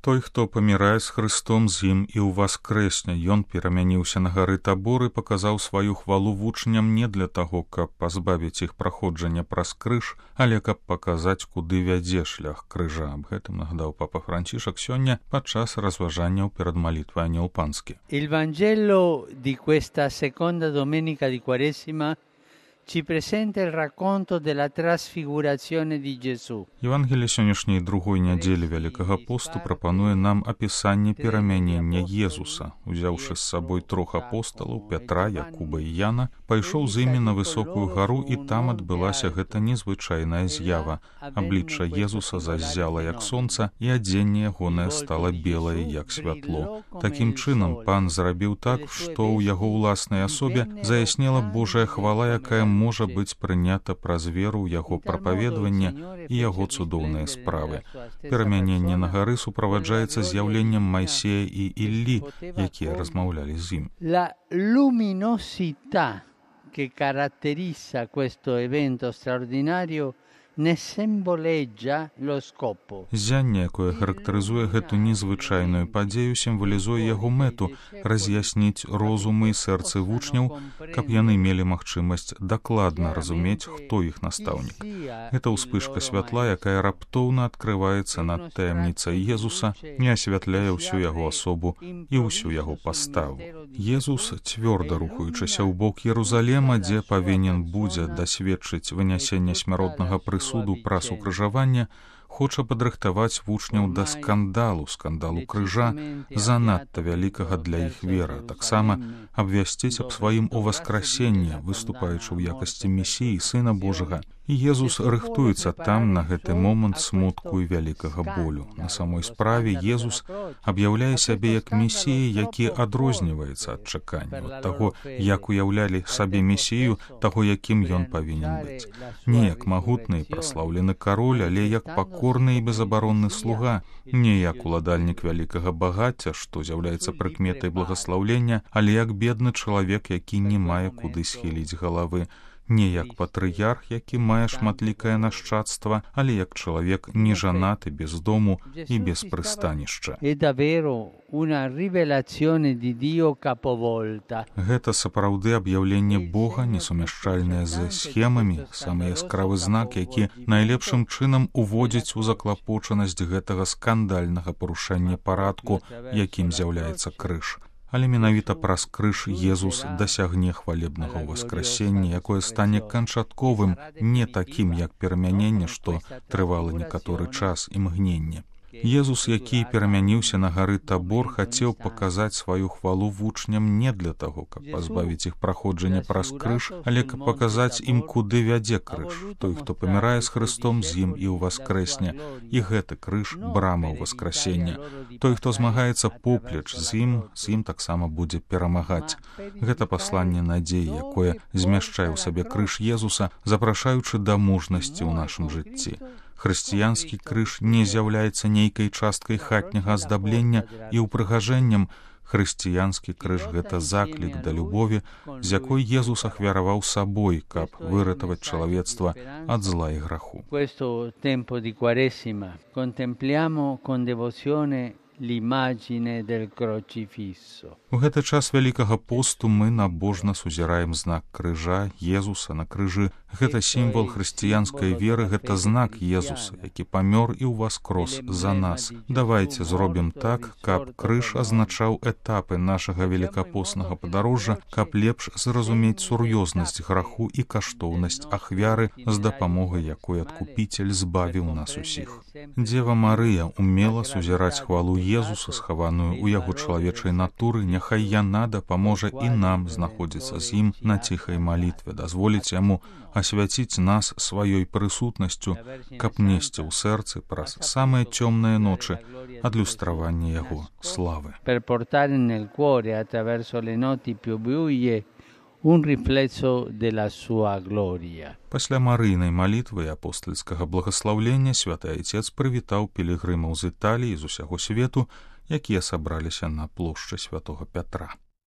Той, хто памірае з Христом, з ім і ўваскрэсне. Ён перамяніўся на гары Табор і паказаў сваю хвалу вучням не для таго, каб пазбавіць іх праходжання праз крыж, але каб паказаць, куды вядзе шлях крыжа. Аб гэтым нагадаў папа Францішак сёння падчас разважанняў перад малітвай Анёл Панскі. Il Vangelo di questa seconda domenica di Quaresima ci presenta il racconto della trasfigurazione di Gesù. Евангелие сённяшняй другой нядзелі Вялікага посту прапануе нам апісанне перамянення Езуса. Узяўшы з сабой трох апосталаў Пятра, Якуба і Яна, пайшоў з імі на высокую гару, і там адбылася гэта незвычайная з'ява. Аблічча Езуса заззяла як сонца, і адзенне ягонае стала белае як святло. Такім чынам Пан зрабіў так, што ў яго ўласнай асобе заяснела Божая хвала, якая можа быць прынята праз веру ў яго прапаведванне і яго цудоўныя справы. Перамяненне на гары суправаджаецца з'яўленнем Майсея і Іллі, якія размаўлялі з ім. La luminosità che caratterizza questo evento straordinario ne simboleggia lo scopo. Ззянне, якое характарызуе гэту незвычайную падзею, сімвалізуе яго мэту раз'ясніць розумы і сэрцы вучняў, каб яны мелі магчымасць дакладна разумець, хто іх настаўнік. Гэта ўспышка святла, якая раптоўна адкрываецца над таямніцай Езуса і асвятляе ўсю яго асобу і ўсю яго паставу. Езус, цвёрда рухаючыся ў бок Єрусалема, дзе павінен будзе дасведчыць вынясення смяротнага прысуду праз укрыжаванне, хоча падрыхтаваць вучняў да скандалу крыжа, занадта вялікага для іх вера, таксама абвясціць аб сваім уваскрасенні, выступаючы ў якасці Месіі, Сына Божага. І Езус рыхтуецца там на гэты момант смутку і вялікага болю. На самой справе Езус аб'яўляе сябе як Месія, які адрозніваецца ад чакання, ад таго, як уяўлялі сабе Месію, таго, якім ён павінен быць. Не як магутны і праслаўлены кароль, але як пакорны і безабаронны слуга, не як уладальнік вялікага багацця, што з'яўляецца прыкметай благаслаўлення, але як бедны чалавек, які не мае куды схіліць галавы. Не як патрыярх, які мае шматлікае нашчадства, але як чалавек нежанаты, без дому і без прыстанішча. Гэта сапраўды аб'яўленне Бога, несумяшчальнае з схемамі, самы яскравы знак, які найлепшым чынам уводзіць у заклапочанасць гэтага скандальнага парушэння парадку, якім з'яўляецца крыж. Але менавіта праз крыж Езус дасягне хвалебнага ўваскрасення, якое стане канчатковым, не такім, як перамяненне, што трывала некаторы час і мгненне. Езус, які перамяніўся на гары Табор, хацеў паказаць сваю хвалу вучням не для таго, каб пазбавіць іх праходжання праз крыж, але каб паказаць ім, куды вядзе крыж. Той, хто памірае з Христом, з ім і ўваскрэсне. І гэты крыж — брама ўваскрасення. Той, хто змагаецца поплеч з ім таксама будзе перамагаць. Гэта пасланне надзеі, якое змяшчае ў сабе крыж Езуса, запрашаючы да мужнасці ў нашым жыцці. Хрысціянскі крыж не з'яўляецца нейкай часткай хатняга аздаблення і ўпрыгажэннем. Хрысціянскі крыж — гэта заклік да любові, з якой Езус ахвяраваў сабой, каб выратаваць чалавецтва ад зла і граху. L'immagine del crocifisso. У гэты час Вялікага посту мы набожна сузіраем знак крыжа, Езуса на крыжы. Гэта сімвал хрысціянскай веры, гэта знак Езуса, які памёр і ўваскрос за нас. Давайце зробім так, каб крыж азначаў этапы нашага велікапоснага падарожжа, каб лепш зразумець сур'ёзнасць граху і каштоўнасць ахвяры, з дапамогай якой адкупіцель збавіў нас усіх. Дзева Марыя умела сузіраць хвалу Езуса, схаваную ў яго чалавечай натуры, няхай яна дапаможа і нам знаходзіцца з ім на ціхай малітве, дазволіць яму асвяціць нас сваёй прысутнасцю, каб несці ў сэрцы праз самыя цёмныя ночы адлюстраванне яго славы. Un riflesso della sua gloria. Пасля Марыйнай малітвы і апостальскага благаслаўлення святы Айцец прывітаў пілігрымаў з Італіі, з усяго свету, якія сабраліся на плошчы святога Пятра.